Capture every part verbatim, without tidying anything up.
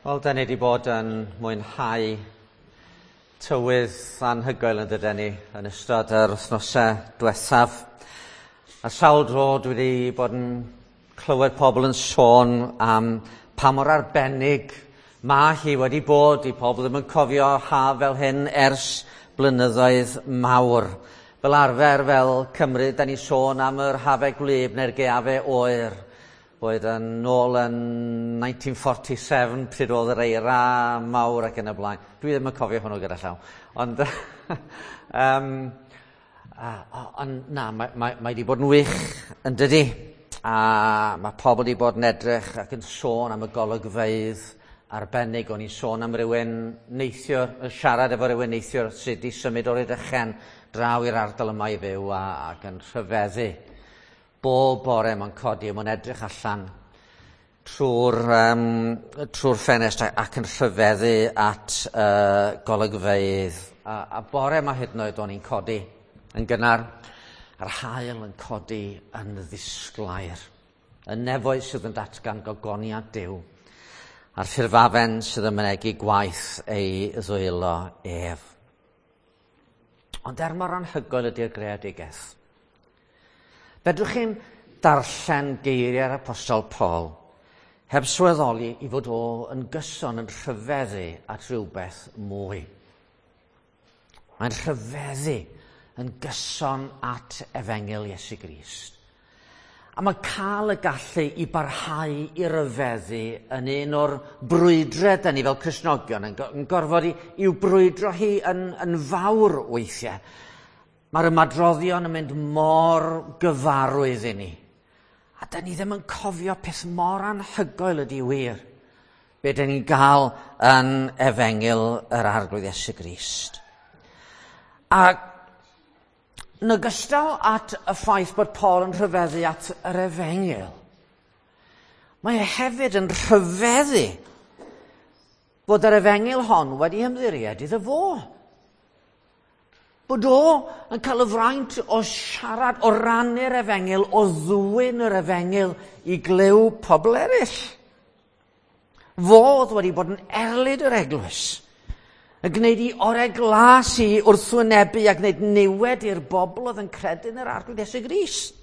Wel, da ni wedi bod yn mwynhau tywydd anhygoel yn dydyn ni yn ystod yr wythnosau diwethaf. A sawl dro dwi wedi bod yn clywed pobl yn sôn am pa mor arbennig mae hi wedi bod i pobl ddim yn cofio haf fel hyn ers blynyddoedd mawr. Fel arfer, fel Cymru, da ni sôn am yr hafau gwlyb neu'r gaeafau oer. Boed yn nôl yn nineteen forty-seven, pryd oedd yr eira mawr ac yn y blaen. Dwi ddim yn cofio hwnnw gyda llaw. Ond, um, uh, ond na, mae, mae, mae wedi bod yn wych yn dydi. A mae pobl wedi bod yn edrych ac yn sôn am y golygfeydd arbennig. O'n i'n sôn am rywun neithiwr, siarad efo rywun neithiwr sydd wedi symud o'r Rhydychen draw i'r ardal yma i fyw a, ac yn rhyfeddu. Bob bore mae'n codi a mae'n edrych allan trwy'r um, trwy'r ffenest ac yn rhyfeddu at uh, golygfeydd. A, a bore yma hyd yn oed o'n i'n codi yn gynnar, a'r haul yn codi yn ddisglair. Y nefoedd sydd yn datgan gogoniant Duw, a'r ffurfafen sydd yn mynegi gwaith ei ddwylo ef. Ond er mor anhygoel ydy'r greadigaeth, fedrwch chi'n darllen geiriau'r Apostol Paul heb sylweddoli i fod o yn gyson yn rhyfeddu at rhywbeth mwy. Mae'n rhyfeddu yn gyson at efengyl Iesu Grist. A mae cael y gallu i barhau i ryfeddu yn un o'r brwydrau da ni fel Cristnogion yn, yn gorfod i, i'w brwydro hi yn, yn fawr weithiau. Mae'r ymadroddion yn mynd mor gyfarwydd i ni. A da ni ddim yn cofio peth mor anhygoel ydy wir. Be da ni'n gael yn efengyl yr Arglwydd Iesu Grist. A yn ogystal at y ffaith bod Paul yn rhyfeddu at yr efengyl, mae e hefyd yn rhyfeddu bod yr efengyl hon wedi ymddiried iddo fo. Bod o yn cael y fraint o siarad, o rannu'r efengyl, o ddwyn yr efengyl i glyw pobl eraill. Fo oedd wedi bod yn erlid yr eglwys, yn gwneud i orau glas i wrthwynebu a gwneud niwed i'r bobl oedd yn credu yn yr Arglwydd Iesu Grist.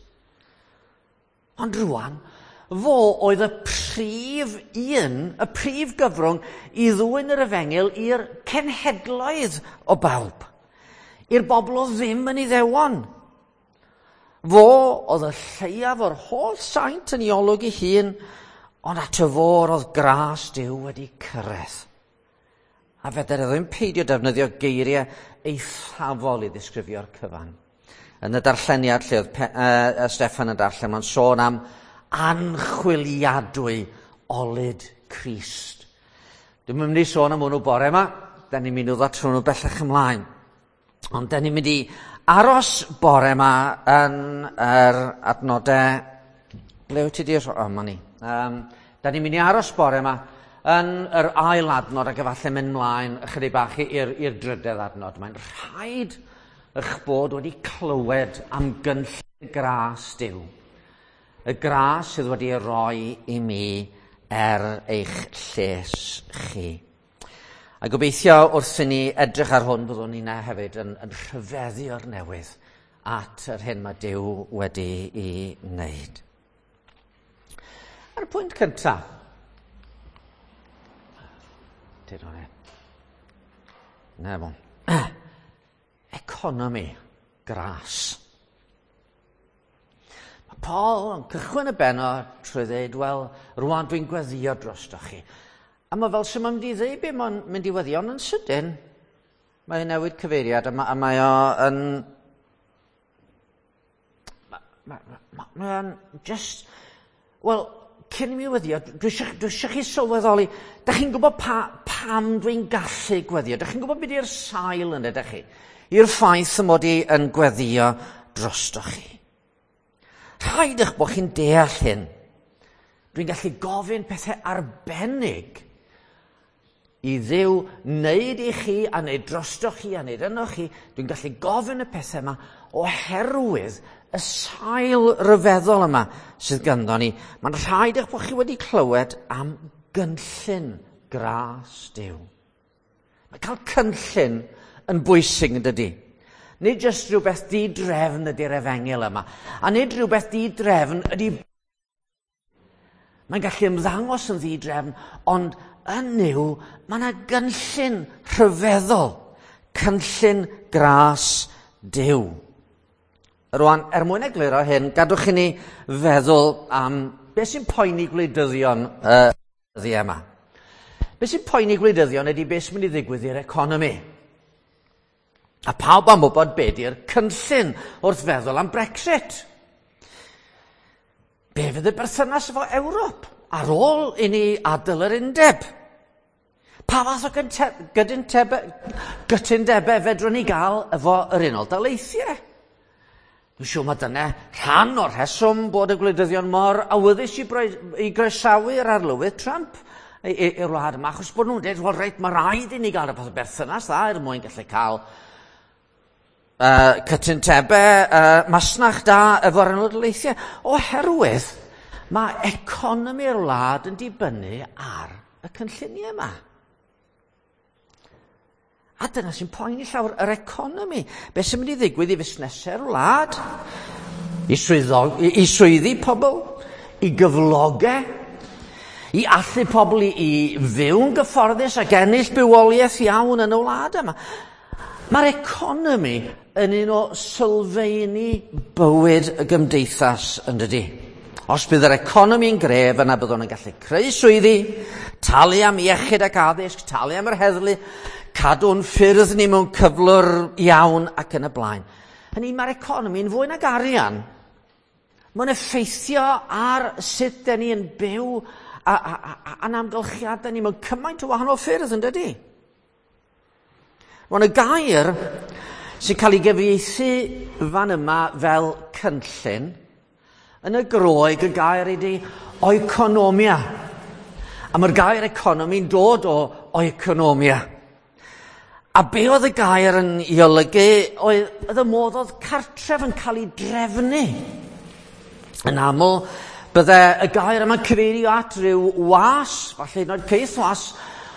Ond rwan, fo oedd y prif un, y prif gyfrwng i ddwyn yr efengyl i'r cenhedloedd o bawb, i'r bobl oedd ddim yn Iddewon. Fo oedd y lleiaf o'r holl saint yn ei olwg ei hun, ond at y fôr oedd gras Duw wedi cyrraedd. A fedr e ddim peidio defnyddio geiriau eithafol i ddisgrifio'r cyfan. Yn y darlleniad lle oedd Pe- uh, Steffan yn darllen, mae'n sôn am anchwiliadwy olud Crist. Dwi'm yn mynd i sôn am hwnnw bore yma, da ni'n mynd i ddod trwy nhw bellach ymlaen. Ond da ni'n mynd i aros bore yma yn yr adnodau... Ble wyt ti di? O, ma ni. Um, da ni'n mynd i aros bore yma yn yr ail adnod ac efallai mynd mlaen ychydig bach i'r, i'r drydedd adnod. Mae'n rhaid eich bod wedi clywed am gynllun gras Duw. Y gras sydd wedi ei roi i mi er eich lles chi. A gobeithio wrth i ni edrych ar hwn byddwn ni'n hefyd yn, yn rhyfeddu o'r newydd at yr hyn mae Duw wedi ei wneud. Ar y pwynt cyntaf, dyd o'n e. Na fo. Economi gras. Mae Paul yn cychwyn y bennod trwy ddweud, wel, rwan dwi'n gweddio drostoch chi. A mae fel sy'n mynd i ddweud be mae'n mynd i weddio, ond yn sydyn, mae'n newid cyfeiriad a mae, a mae o yn... Mae ma, ma, mae o'n just... Wel, cyn i mi weddio, dwi eisiau, dwi eisiau chi sylweddoli, da chi'n gwybod pa, pam dwi'n gallu gweddio, da chi'n gwybod beth yw'r sail yna, da chi? I'r ffaith y mod i yn gweddio drostoch chi. Rhaid eich bod chi'n deall hyn. Dwi'n gallu gofyn pethau arbennig i Dduw wneud i chi a wneud drostoch chi a wneud yno chi. Dwi'n gallu gofyn y pethau yma oherwydd y sail ryfeddol yma sydd ganddo ni. Mae'n rhaid eich bod chi wedi clywed am gynllun gras Duw. Mae cael cynllun yn bwysig yn dydy. Nid jyst rhywbeth di-drefn ydy'r efengyl yma. A nid rhywbeth di-drefn ydy... Mae'n gallu ymddangos yn ddi-drefn, ond yn Nuw, mae yna gynllun rhyfeddol. Cynllun gras Duw. Rwan, er mwyn egluro hyn, gadwch i ni feddwl am beth sy'n poeni gwleidyddion uh, dyddiau yma. Beth sy'n poeni gwleidyddion ydy beth sy'n mynd i ddigwydd i'r economi. A pawb am wybod be di'r cynllun wrth feddwl am Brexit. Be fydd y berthynas efo Ewrop ar ôl i ni adael yr undeb? Pa fath o gytundebau fedrwn ni gael efo yr Unol Daleithiau? Dwi'n siŵr mae dyna rhan o'r rheswm bod y gwleidyddion mor awyddus i, i groesawu'r arlywydd Trump i'r wlad yma, achos bod nhw'n dweud, wel reit, mae rhaid i ni gael rhywbeth o berthynas dda er mwyn gallu cael uh, cytundebau uh, masnach da efo'r Unol Daleithiau, oherwydd mae economi'r wlad yn dibynnu ar y cynlluniau yma. A dyna sy'n poeni llawer, yr economi. Be sy'n mynd i ddigwydd i fusnesau'r wlad, i, swyddog, i, i swyddi pobl, i gyflogau, i allu pobl i, i fyw'n gyfforddus ac ennill bywoliaeth iawn yn y wlad yma. Mae'r economi yn un o sylfeini bywyd y gymdeithas yn dydy. Os bydd yr economi'n gref, yna byddwn yn gallu creu swyddi, talu am iechyd ac addysg, talu am yr heddlu, cadw'n ffyrdd ni mewn cyflwr iawn ac yn y blaen. Hynny, mae'r economi'n fwy nag arian. Mae'n effeithio ar sut dyn ni yn byw a, a, a, a'n amgylchiadau ni mewn cymaint o wahanol ffyrdd yn dydy. Mae'n y gair sy'n cael ei gyfieithu fan yma fel cynllun, yn y Groeg y gair ydy oikonomia. A mae'r gair economi'n dod o oikonomia. A be oedd y gair yn ei olygu oedd, oedd y modd oedd cartref yn cael ei drefnu. Yn aml, bydde y gair yma'n cyfeirio at ryw was, falle hyd yn oed caethwas,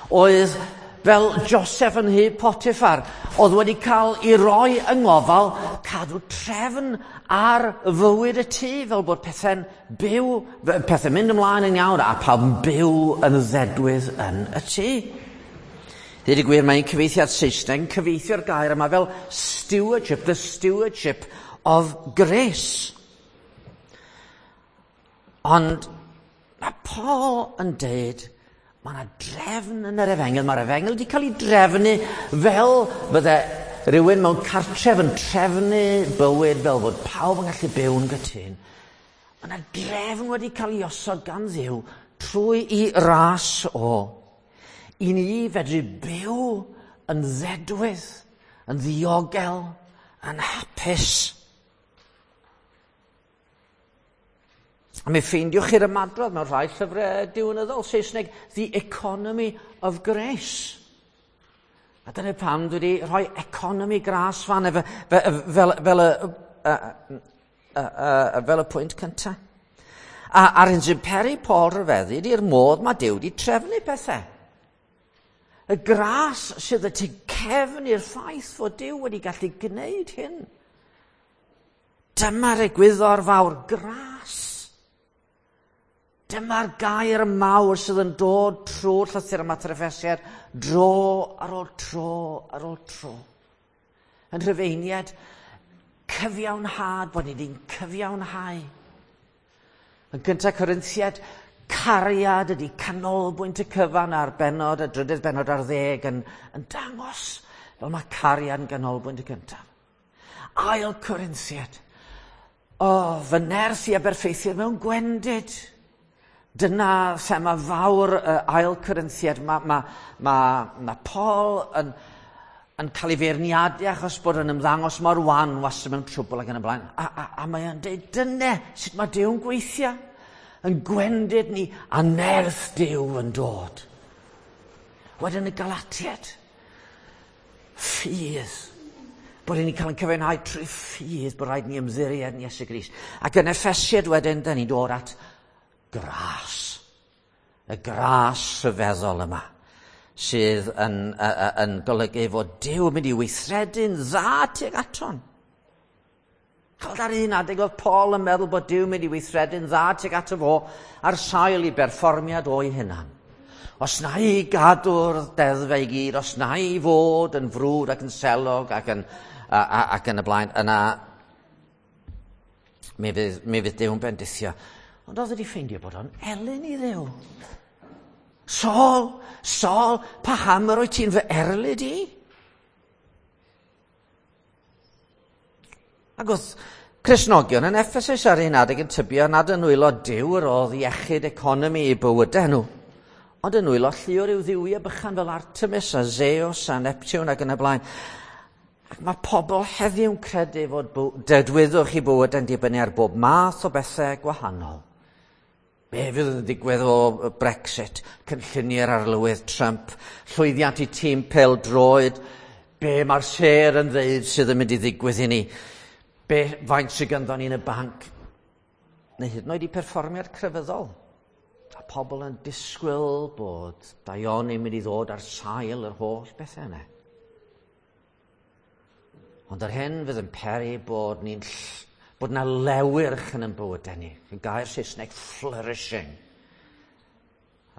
oedd fel Joseph yn nhŷ Potiphar, oedd wedi cael ei roi yng ngofal cadw trefn ar fywyd y tŷ, fel bod pethau'n byw, pethau'n mynd ymlaen yn iawn, a pawb yn byw yn ddedwydd yn y tŷ. Dweud y gwir, mae'n cyfieithiad Saesneg yn cyfieithio'r gair yma fel stewardship, the stewardship of grace. Ond mae Paul yn deud, mae yna drefn yn yr efengyl. Mae'r efengyl wedi cael ei drefnu fel bydde rhywun mewn cartref yn trefnu bywyd fel bod pawb yn gallu byw'n gytûn. Mae yna drefn wedi cael ei osod gan Dduw trwy i ras o. I ni fedru byw yn ddedwydd, yn ddiogel, yn hapus. A mi ffeindiwch chi'r ymadrodd mewn rhai llyfrau diwinyddol Saesneg, The Economy of Grace. A dyna pam dwi wedi rhoi economi gras fan efo, fel, fel, fel, y, y, y, y, fel y pwynt cyntaf. A a'r hyn sy'n peri Paul rhyfeddu ydy'r modd mae Duw wedi trefnu pethau. Y gras sydd y tu cefn i'r ffaith fod Duw wedi gallu gwneud hyn. Dyma'r egwyddor fawr, gras. Dyma'r gair mawr sydd yn dod trwy'r llythyr yma at yr Effesiaid, dro ar ôl tro ar ôl tro. Yn Rhufeiniaid, cyfiawnhad, bod ni wedi'n cyfiawnhau. Yn gyntaf Corinthiaid, cariad ydy canolbwynt y cyfan a'r bennod, y drydydd bennod ar ddeg yn, yn dangos fel mae cariad yn ganolbwynt y cyntaf. Ail Corinthiaid, o, oh, fy nerth i aberffeithio mewn gwendid. Dyna thema fawr uh, ail Corinthiaid. Mae ma, ma, ma Paul yn, yn cael ei feirniadu achos bod yn ymddangos mor wan wastad mewn trwbl ac yn y blaen. A, a, a mae o'n dweud, dyna sut mae Duw'n gweithio. Yn gwendid ni a nerth Duw yn dod. Wedyn y Galatiaid, ffydd. Bod ni'n cael ein cyfiawnhau trwy ffydd, bod rhaid ni ymddiried yn Iesu Grist. Ac yn Effesiaid wedyn, da ni'n dod at gras. Y gras rhyfeddol yma. sydd yn, uh, yn golygu fod Duw yn mynd i weithredu'n dda tuag aton. Chawd ar un adeg oedd Paul yn meddwl bod Duw yn mynd i weithredu'n dda tuag ato fo ar sail i berfformiad o'i hunan. Os na i gadw'r deddfau i gyd, os na i fod yn frwd ac yn selog ac yn, a, a, ac yn y blaen, yna mi fydd, mi fydd Duw'n bendithio. Ond oedd wedi ffeindio bod o'n elyn i Dduw. Saul, Saul, paham yr wyt ti'n fy erlid i? Ac oedd Cristnogion yn Ephesus ar un adeg yn tybio nad yn nwylo Duw yr oedd iechyd economi i bywydau nhw, ond yn nwylo llu o ryw dduwiau bychan fel Artemis a Zeus a Neptune ac yn y blaen. Ac mae pobl heddiw'n credu fod dedwyddwch i bywydau'n dibynnu ar bob math o bethau gwahanol. Be fydd yn digwydd o Brexit, cynlluniau'r arlywydd Trump, llwyddiant i tîm pêl-droed, be mae'r sêr yn ddeud sydd yn mynd i ddigwydd i ni, be faint sydd ganddo ni yn y banc, neu hyd yn oed i perfformiad crefyddol. A pobl yn disgwyl bod daioni'n mynd i ddod ar sail yr holl bethau yna. Ond yr hyn fydd yn peri bod ni'n bod na lewyrch yn ein bywydau ni. Y gair Saesneg, flourishing.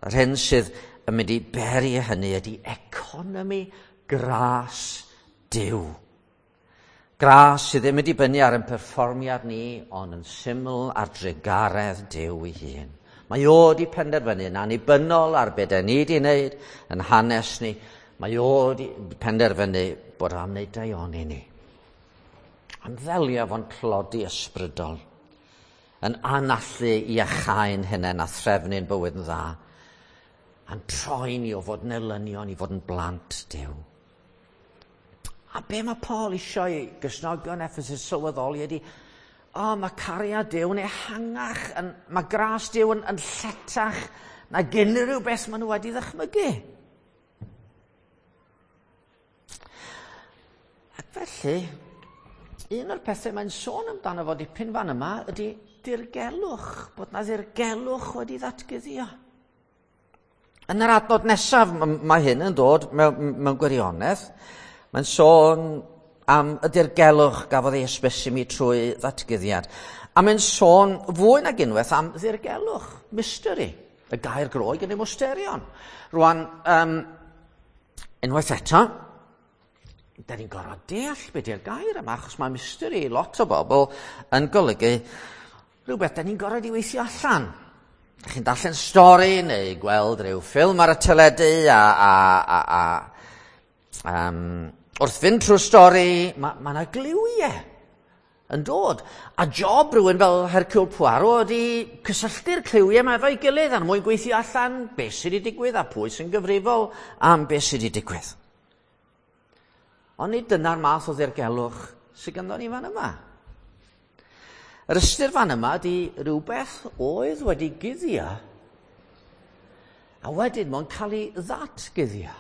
Yr hyn sydd yn mynd i beri hynny ydy economi gras Duw. Gras sydd ddim yn dibynnu ar ein perfformiad ni, ond yn syml ar drugaredd Duw ei hun. Mae o wedi penderfynu yn annibynnol ar be dan ni wedi wneud yn hanes ni. Mae o wedi penderfynu bod am wneud daioni ni. Am ddelio fo'n tlodi ysbrydol, yn anallu i iachau'n hunain a threfnu'n bywyd yn dda, a'n troi ni o fod yn elynion i fod yn blant Duw. A be mae Paul eisiau i Gristnogion Ephesus sylweddoli ydy, o, oh, mae cariad Duw yn ehangach, yn, mae gras Duw yn, yn lletach nag unrhyw beth maen nhw wedi ddychmygu. Ac felly, un o'r pethau mae'n sôn amdano fo dipyn fan yma ydy dirgelwch, bod na ddirgelwch wedi ddatguddio. Yn yr adnod nesaf, mae hyn yn dod mewn, mewn gwirionedd, mae'n sôn am y dirgelwch gafodd ei hysbysu mi trwy ddatguddiad. A mae'n sôn fwy nag unwaith am ddirgelwch, mystery, y gair Groeg yn mysterion. Rwan, um, unwaith eto, da ni'n gorfod deall beth yw'r gair yma, achos mae mystery i lot o bobl yn golygu rhywbeth da ni'n gorfod i weithio allan. Chi'n darllen stori neu gweld rhyw ffilm ar y teledu a, a, a, a um, wrth fynd trwy'r stori, mae ma 'na gliwiau yn dod. A job rhywun fel Hercule Poirot ydy cysylltu'r cliwiau yma efo'i gilydd er mwyn gweithio allan beth sydd wedi digwydd a pwy sy'n gyfrifol am beth sydd wedi digwydd. Ond nid dyna'r math o ddirgelwch sydd ganddo ni fan yma. Yr ystyr fan yma ydy rhywbeth oedd wedi guddio a wedyn mae'n cael ei ddatguddio.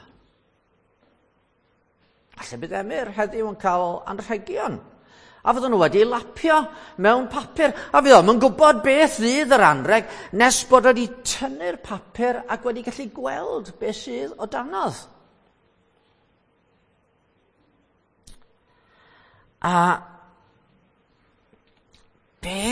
Falle bydd Emyr heddiw yn cael anrhegion. A fydden nhw wedi lapio mewn papur. A fydd o'm yn gwybod beth fydd yr anrheg nes bod wedi tynnu'r papur ac wedi gallu gweld beth sydd o danodd. A be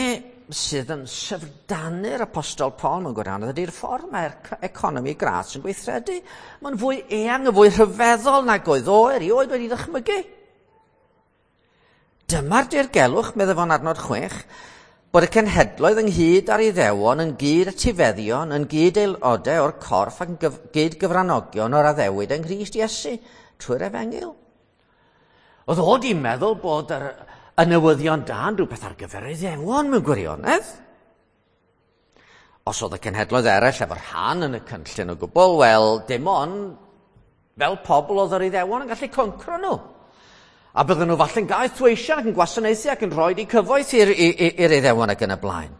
sydd yn syfrdanu'r apostol Paul mewn gwirionedd ydy'r ffordd mae'r economi gras yn gweithredu. Mae'n fwy eang, yn fwy rhyfeddol nag oedd o erioed wedi ddychmygu. Dyma'r dirgelwch, meddai fo'n adnod chwech, bod y cenhedloedd ynghyd â'r Iddewon, yn gyd etifeddion, yn gyd aelodau o'r corff ac yn gyd gyfranogion o'r addewid yng Nghrist Iesu trwy'r efengyl. Oedd o di meddwl bod yr, y newyddion da yn rhywbeth ar gyfer Iddewon mewn gwirionedd. Os oedd y cenhedloedd eraill efo rhan yn y cynllun o gwbl, wel, dim ond fel pobl oedd yr Iddewon yn gallu concro nhw. A bydden nhw falle'n gaethweision ac yn gwasanaethu ac yn rhoi eu cyfoeth i'r, i'r Iddewon ac yn y blaen.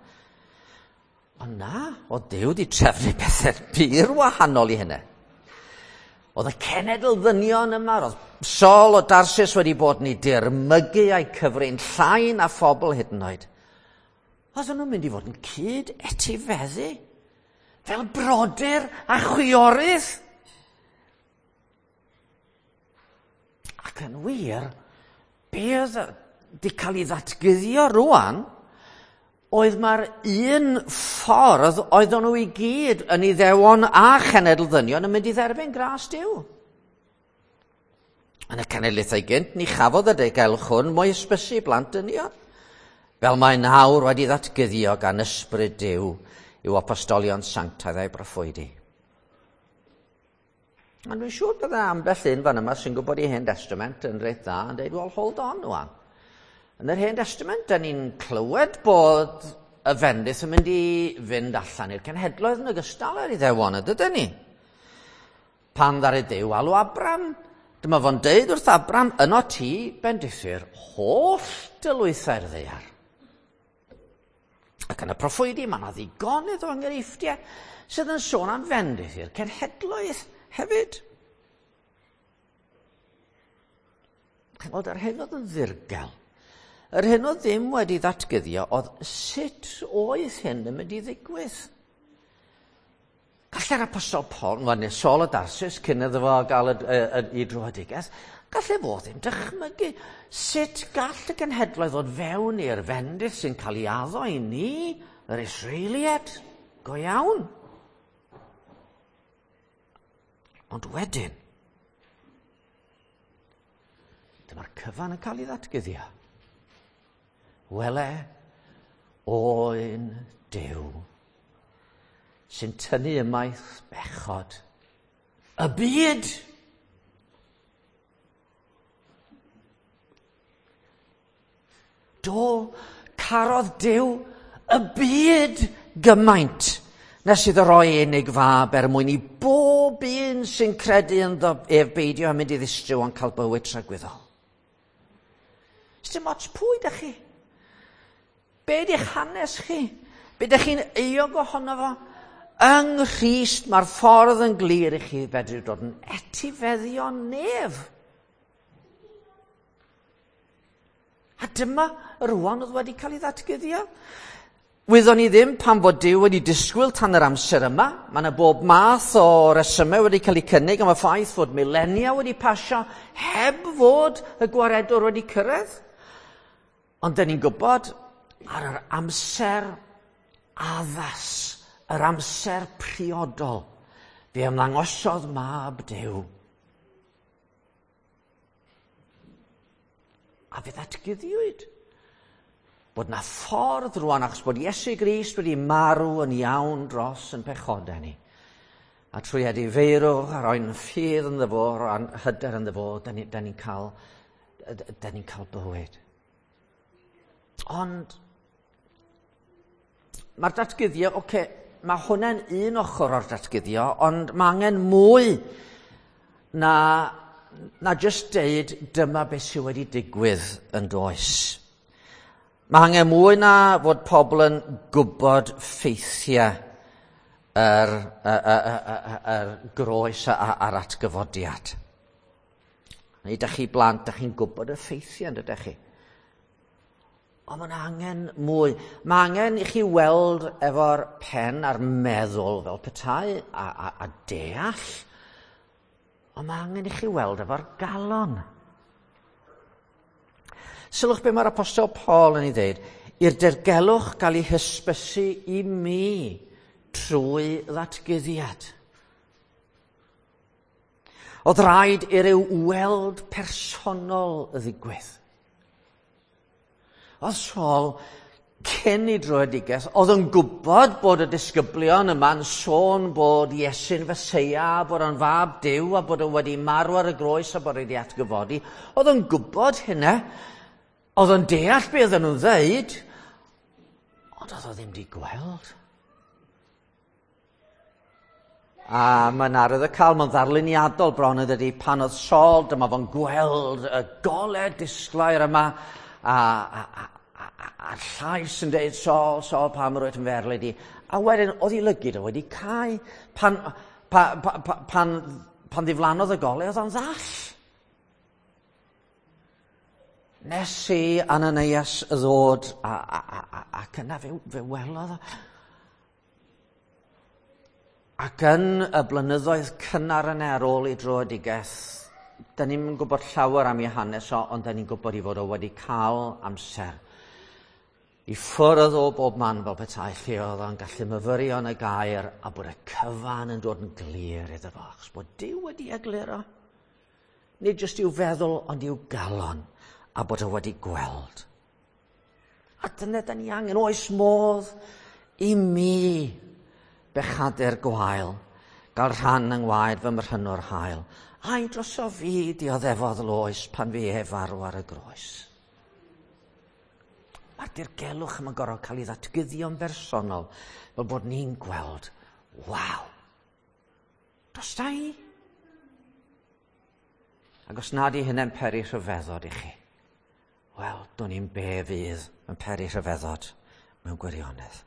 Ond na, oedd Duw wedi trefnu pethau pur wahanol i hynny. Oedd y cenedl ddynion yma, oedd Saul o Darsus wedi bod yn ei dirmygu a'i cyfrin llai na phobl hyd yn oed. Oedden nhw'n mynd i fod yn cyd etifeddu, fel brodyr a chwiorydd. Ac yn wir, be oedd di cael ei ddatguddio rwan, oedd mae'r un ffordd oedden nhw i gyd yn Iddewon a chenedl ddynion yn mynd i dderbyn gras Duw. Yn y cenedlaethau gynt, ni chafodd y dirgelwch hwn mo'i hysbysu i blant dynion, fel mae nawr wedi ddatguddio gan ysbryd Duw i'w apostolion sanctaidd a'i broffwydi. A dwi'n siŵr bydde ambell un fan yma sy'n gwybod i Hen Testament yn reit dda yn dweud, well, hold on rwan. Yn yr Hen Testament, da ni'n clywed bod y fendith yn mynd i fynd allan i'r cenhedloedd yn ogystal â'r Iddewon, ydyn ni? Pan ddaru Duw alw Abram, dyma fo'n deud wrth Abram, yno ti bendithir holl dylwythau'r ddaear. Ac yn y proffwydi, mae yna ddigonedd o enghreifftiau sydd yn sôn am fendith i'r cenhedloedd hefyd. Chi'n gweld, yr hyn oedd yn ddirgel, yr hyn oedd ddim wedi ddatguddio oedd sut oedd hyn yn mynd i ddigwydd. Gallai'r apostol Paul, wel, neu Saul o Darsus, cyn iddo fo gael y, y, y, y dröedigaeth, gallai fo ddim dychmygu sut gall y genhedloedd ddod fewn i'r fendith sy'n cael ei addo i ni, yr Israeliaid, go iawn. Ond wedyn, dyma'r cyfan yn cael ei ddatguddio. Wele, oen Duw, sy'n tynnu ymaith bechod y byd. Do, carodd Duw y byd gymaint nes iddo roi unig fab er mwyn i bob un sy'n credu ynddo ef beidio a mynd i ddistryw ond cael bywyd tragwyddol. Sdim ots pwy ydych chi? Be ydych hanes chi? Be ydych chi'n euog ohono fo? Yng Nghrist mae'r ffordd yn glir i chi fedru dod yn etifeddion nef. A dyma rwan oedd wedi cael ei ddatguddio. Wyddon ni ddim pan fod Duw wedi disgwyl tan yr amser yma. Mae yna bob math o resymau wedi cael eu cynnig am y ffaith fod milenia wedi pasio heb fod y gwaredwr wedi cyrraedd. Ond dyn ni'n gwybod ar yr amser addas, yr amser priodol, fe ymddangosodd mab Duw. A fe ddatguddiwyd bod na ffordd rwan, achos bod Iesu Grist wedi marw yn iawn dros yn pechodau ni. A trwy edifeirwch a roi'n ffydd ynddo fo, a'n hyder ynddo fo, da ni'n ni cael, da ni'n cael bywyd. Ond mae'r datguddio, oce, okay, mae hwnna'n un ochr o'r datguddio, ond mae angen mwy na, na just deud dyma beth sydd wedi digwydd yn does. Mae angen mwy na fod pobl yn gwybod ffeithiau yr, yr, yr, yr groes a'r atgyfodiad. Neu ydych chi blant, ydych chi'n gwybod y ffeithiau, ydych chi? Ond mae'n angen mwy. Mae angen i chi weld efo'r pen a'r meddwl fel petai a, a, a deall. Ond mae angen i chi weld efo'r galon. Sylwch be mae'r apostol Paul yn ei ddeud, i'r dirgelwch gael ei hysbysu i mi trwy ddatguddiad. Oedd rhaid i ryw weld personol ddigwydd. Oedd Saul, cyn ei dröedigaeth, oedd yn gwybod bod y disgyblion yma'n sôn bod Iesu'n Feseia, bod o'n fab Duw, a bod o wedi marw ar y groes a bod wedi atgyfodi. Oedd yn gwybod hynna. Oedd o'n deall be oedden nhw'n ddeud, ond oedd o ddim wedi gweld. A mae'n arwydd y cael, mae'n ddarluniadol bron yn dydi, pan oedd Saul, dyma fo'n gweld y golau disglair yma, a, a, a, a, a'r llais yn deud, Saul, Saul, pam yr wyt yn fy erlid i? A wedyn, oedd ei lygid o wedi cau. Pan, pa, pa, pa, pan, pan ddiflannodd y golau, oedd o'n ddall. Nes i Ananias ddod, a, a, a, a, ac yna fe, fe welodd o. Ac yn y blynyddoedd cynnar yna ar ôl ei dröedigaeth, da ni'm yn gwybod llawer am ei hanes o, ond da ni'n gwybod ei fod o wedi cael amser i ffwrdd o bob man fel petai, lle oedd o'n gallu myfyrio yn y gair a bod y cyfan yn dod yn glir iddo fo, achos bod Duw wedi egluro. Nid jyst i'w feddwl, ond i'w galon, a bod o wedi gweld. A dyna da ni angen, oes modd i mi bechadur gwael, gael rhan yng ngwaed fy mrhynwr hael, a'i droso fi dioddefodd loes pan fi e farw ar y groes. Mae'r dirgelwch yma'n gorfod cael ei ddatguddio'n bersonol, fel bod ni'n gweld, waw, dros da i. Ac os nad i hynny'n peri rhyfeddod i chi, wel, do'n i'n be fydd yn peri rhyfeddod mewn gwirionedd.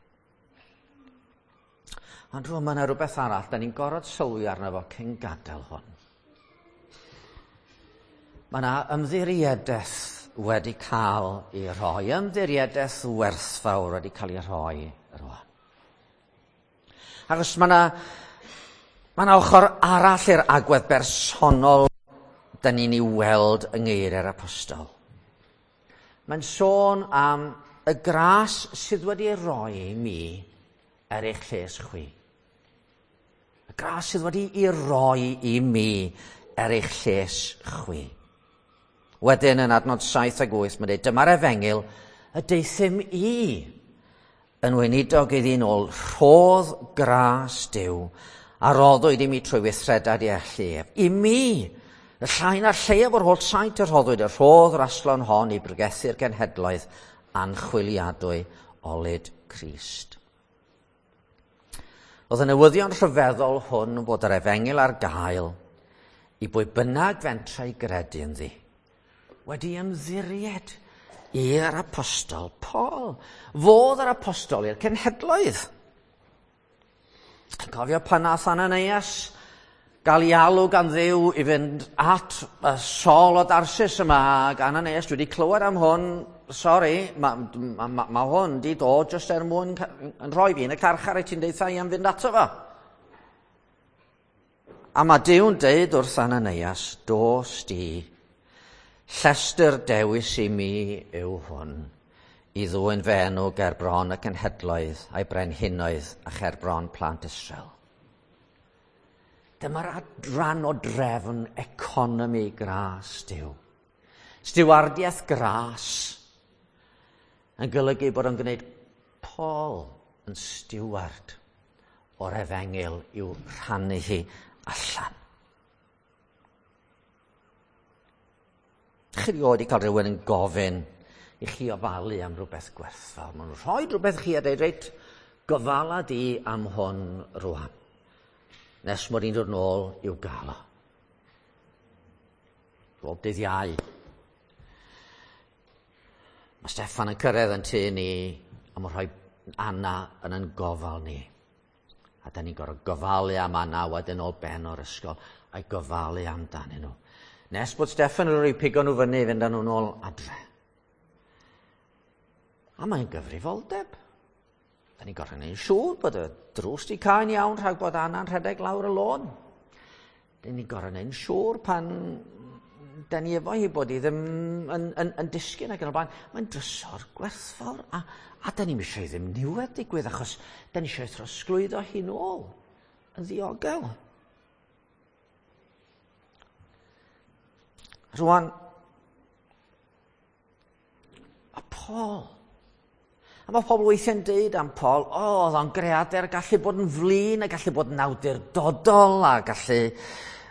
Ond rŵan mae yna rhywbeth arall, da ni'n gorfod sylwi arno fo cyn gadael hwn. Mae yna ymddiriedaeth wedi cael ei rhoi, ymddiriedaeth werthfawr wedi cael ei rhoi rwan. Achos mae yna, mae yna ochr arall i'r agwedd bersonol da ni'n ei weld yng ngeiriau'r apostol. Mae'n sôn am y gras sydd wedi ei roi i mi er eich lles chwi. Y gras sydd wedi ei roi i mi er eich lles chwi. Wedyn yn adnod saith ag wyth, mae'n dweud, dyma'r efengyl y deuthum i yn weinidog iddi'n ôl rhodd gras Duw a roddwyd i mi trwy weithredad i allu ef. I mi, y llai na'r lleiaf o'r holl saint y rhoddwyd y rhodd raslon hon i bregethu'r genhedloedd anchwiliadwy olud Crist. Oedd y newyddion rhyfeddol hwn bod yr efengyl ar gael i bwy bynnag fentra i gredu ynddi, wedi ymddiried i'r apostol Paul. Fodd yr apostol i'r cenhedloedd. Yn cofio pan nath Ananias gael ei alw gan Dduw i fynd at y Saul o Darsus yma, ac Ananias, dwi wedi clywed am hwn, sori, mae ma, ma, ma hwn di dod jyst er mwyn yn rhoi fi yn y carchar i ti'n deutha i am fynd ato fo. A mae Duw'n deud wrth Ananias, dos di, llestr dewis i mi yw hwn, i ddwyn fy enw ger bron y cenhedloedd a'i brenhinoedd a cher bron plant Israel. Dyma'r rhan o drefn economi gras Duw. Stiwardiaeth gras yn golygu bod o'n gwneud Paul yn stiward o'r efengyl i'w rhannu hi allan. Chi rioed i cael rhywun yn gofyn i chi ofalu am rhywbeth gwerthfawr. Maen nhw'n rhoi rhywbeth chi a dweud, reit, gofala di am hwn rwan, nes mod i'n dod nôl i'w gael o. Bob dydd Iau. Mae Steffan yn cyrraedd yn tŷ ni a mae'n rhoi Anna yn yn gofal ni. A da ni'n gorfod gofalu am Anna wedyn ôl ben o'r ysgol a'i gofalu amdanyn nhw. Nes bod Steffan yn rhoi pigo nhw fyny i fynd â nhw'n ôl adre. A mae'n gyfrifoldeb. Da ni'n gorfod gwneud siŵr bod y drws di cau'n iawn rhag bod Anna'n rhedeg lawr y lôn. Da ni'n gorfod gwneud siŵr pan da ni efo hi bod hi ddim yn, yn, yn disgyn ac yn y blaen. Mae'n drysor gwerthfawr a, a da ni'n eisiau ddim niwed digwydd achos da ni eisiau trosglwyddo hi nôl yn ddiogel. Rwan, a Paul. A mae pobl weithiau'n deud am Paul, o, oh, oedd o'n greadur, gallu bod yn flin, a gallu bod yn awdurdodol, a gallu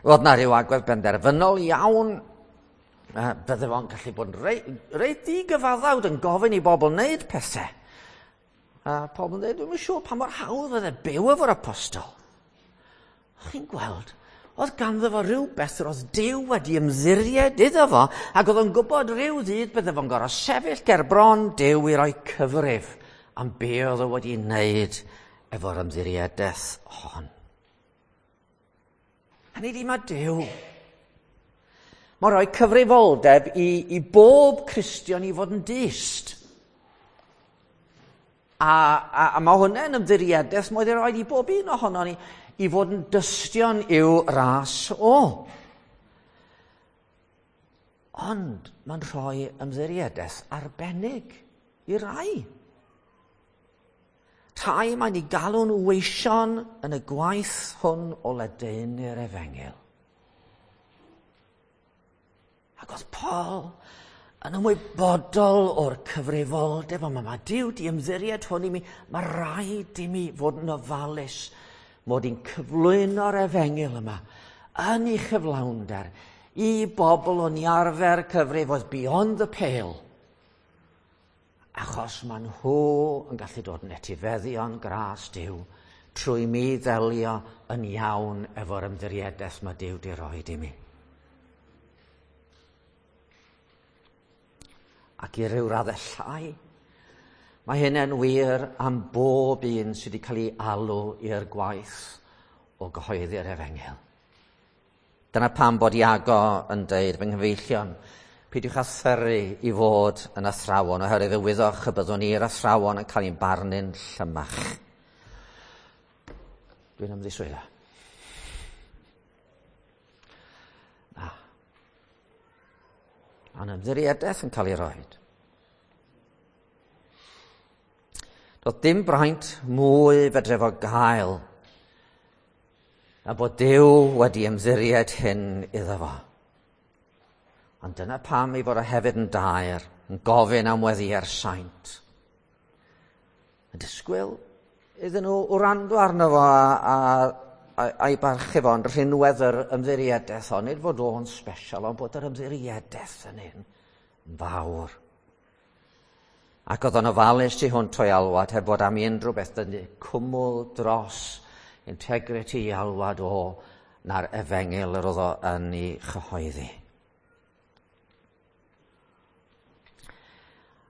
fod na rhyw agwedd benderfynol iawn. Bydde fo'n gallu bod yn reit, reit digyfaddawd yn gofyn i bobl wneud pethau. A pobl yn dweud, dwi'm yn siŵr pa mor hawdd oedd e byw efo'r apostol. Chi'n gweld, oedd ganddo fo rhywbeth yr oedd Duw wedi ymddiried iddo fo, ac oedd o'n gwybod rhyw ddydd bydde fo'n gorfod sefyll ger bron Duw i roi cyfrif am be oedd o wedi wneud efo'r ymddiriedaeth hon. Hynny ydi, mae Duw. Mae'n rhoi cyfrifoldeb i, i bob Cristion i fod yn dyst. A, a, a mae hwnna'n ymddiriedaeth mae wedi rhoi i bob un ohono ni i fod yn dystion i'w ras o. Ond mae'n rhoi ymddiriedaeth arbennig i rai. Rhai mae'n ei galw'n weision yn y gwaith hwn o ledaenu'r efengyl. Ac oedd Paul yn ymwybodol o'r cyfrifoldeb, ond mae Duw di ymddiried hwn i mi, mae rhaid i mi fod yn ofalus mod i'n cyflwyno'r efengyl yma yn ei chyflawnder i bobl o'n i arfer cyfrif oedd beyond the pale. Achos maen nhw yn gallu dod yn etifeddion gras Duw trwy mi ddelio yn iawn efo'r ymddiriedaeth mae Duw di roed i mi. Ac i ryw raddau llai, mae hynny'n wir am bob un sydd wedi cael ei alw i'r gwaith o gyhoeddi'r efengyl. Dyna pam bod Iago yn deud, fy nghyfeillion, peidiwch â thyru i fod yn athrawon, oherwydd y wyddoch y byddwn ni'r athrawon yn cael ein barnu'n llymach. Dwi'n ymddiswyddo. Na. Mae'n ymddiriedaeth yn cael ei roed. Doedd dim braint mwy fedre fo gael na bod Duw wedi ymddiried hyn iddo fo. Ond dyna pam ei fod o hefyd yn daer, yn gofyn am weddïau'r saint. Yn disgwyl iddyn nhw wrando arno fo a, a, a, a'i barchu fo, ond rhinwedd yr ymddiriedaeth hon, nid fod o'n special, ond bod yr ymddiriedaeth yn un fawr. Ac oedd o'n ofalus tu hwnt o'i alwad, heb fod am unrhyw beth dynnu cwmwl dros integrity i alwad o na'r efengyl yr oedd o yn ei chyhoeddi.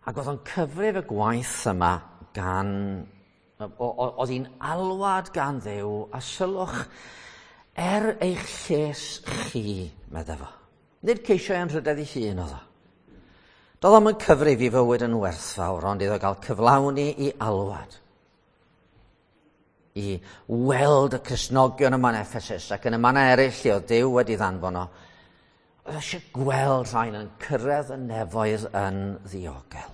Ac oedd o'n cyfrif y gwaith yma gan, oedd hi'n alwad gan Dduw, a sylwch er eich lles chi, medde fo. Nid ceisio ei anrhydedd ei hun oedd o. Doedd o'm yn cyfrif i fywyd yn werthfawr, ond iddo gael cyflawni i alwad. I weld y Cristnogion yma yn Ephesus ac yn y mannau eraill lle oedd Duw wedi ddanfon o. Oedd eisiau gweld rhain yn cyrraedd y nefoedd yn ddiogel.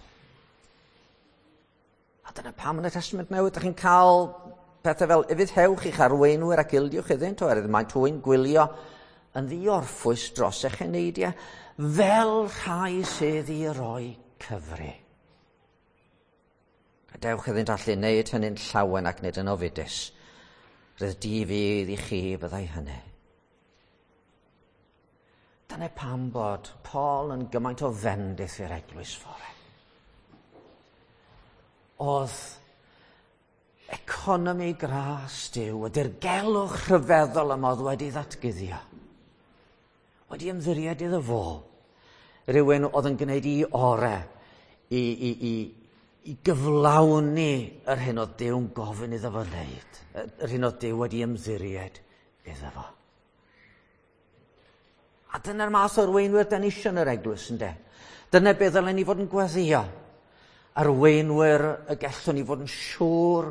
A dyna pam yn y Testament Newydd, ydych chi'n cael pethau fel ufuddhewch i'ch arweinwyr ac ildiwch iddynt, oherwydd maent hwy'n gwylio yn ddiorffwys dros eich eneidiau, fel rhai sydd i roi cyfri. Gadewch iddynt allu wneud hynny'n llawen ac nid yn ofidus. Rhydd di fydd i chi byddai hynny. Dyna pam bod Paul yn gymaint o fendith i'r eglwys fore. Oedd economi gras Duw, y dirgelwch rhyfeddol yma oedd wedi ddatguddio, wedi ymddiried iddo fo, rhywun oedd yn gwneud i ore i, i, i, i gyflawni yr hyn oedd Duw'n gofyn iddo fo wneud, yr hyn oedd Duw wedi ymddiried iddo fo. A dyna'r math o arweinwyr dan ni isio yn yr eglwys, ynde? Dyna beth ddylen ni fod yn gweddïo. Arweinwyr y gallwn ni fod yn siŵr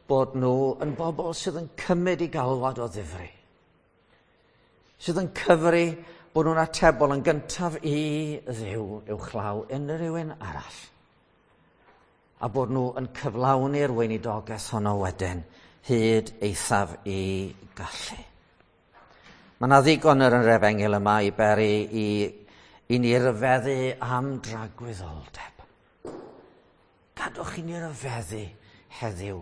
bod nhw yn bobl sydd yn cymryd i galwad o ddifri. Sydd yn cyfri bod nhw'n atebol yn gyntaf i Dduw uwchlaw unrhyw un arall. A bod nhw yn cyflawni'r weinidogaeth honno wedyn hyd eithaf i gallu. Mae yna ddigon yn yr efengyl yma i beri i, i ni ryfeddu am dragwyddoldeb. Gadwch i ni ryfeddu heddiw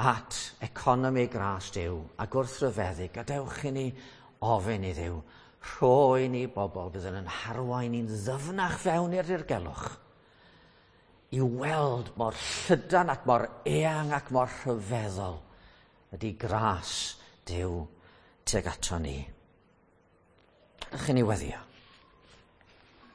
at economi gras Duw, ac wrth ryfeddu, gadewch i ni ofyn i Dduw, rhoi ni bobl bydd yn harwain ni'n ddyfnach fewn i'r dirgelwch, i weld mor llydan ac mor eang ac mor rhyfeddol ydy gras Duw tuag ato ni. Gadewch i ni weddïo.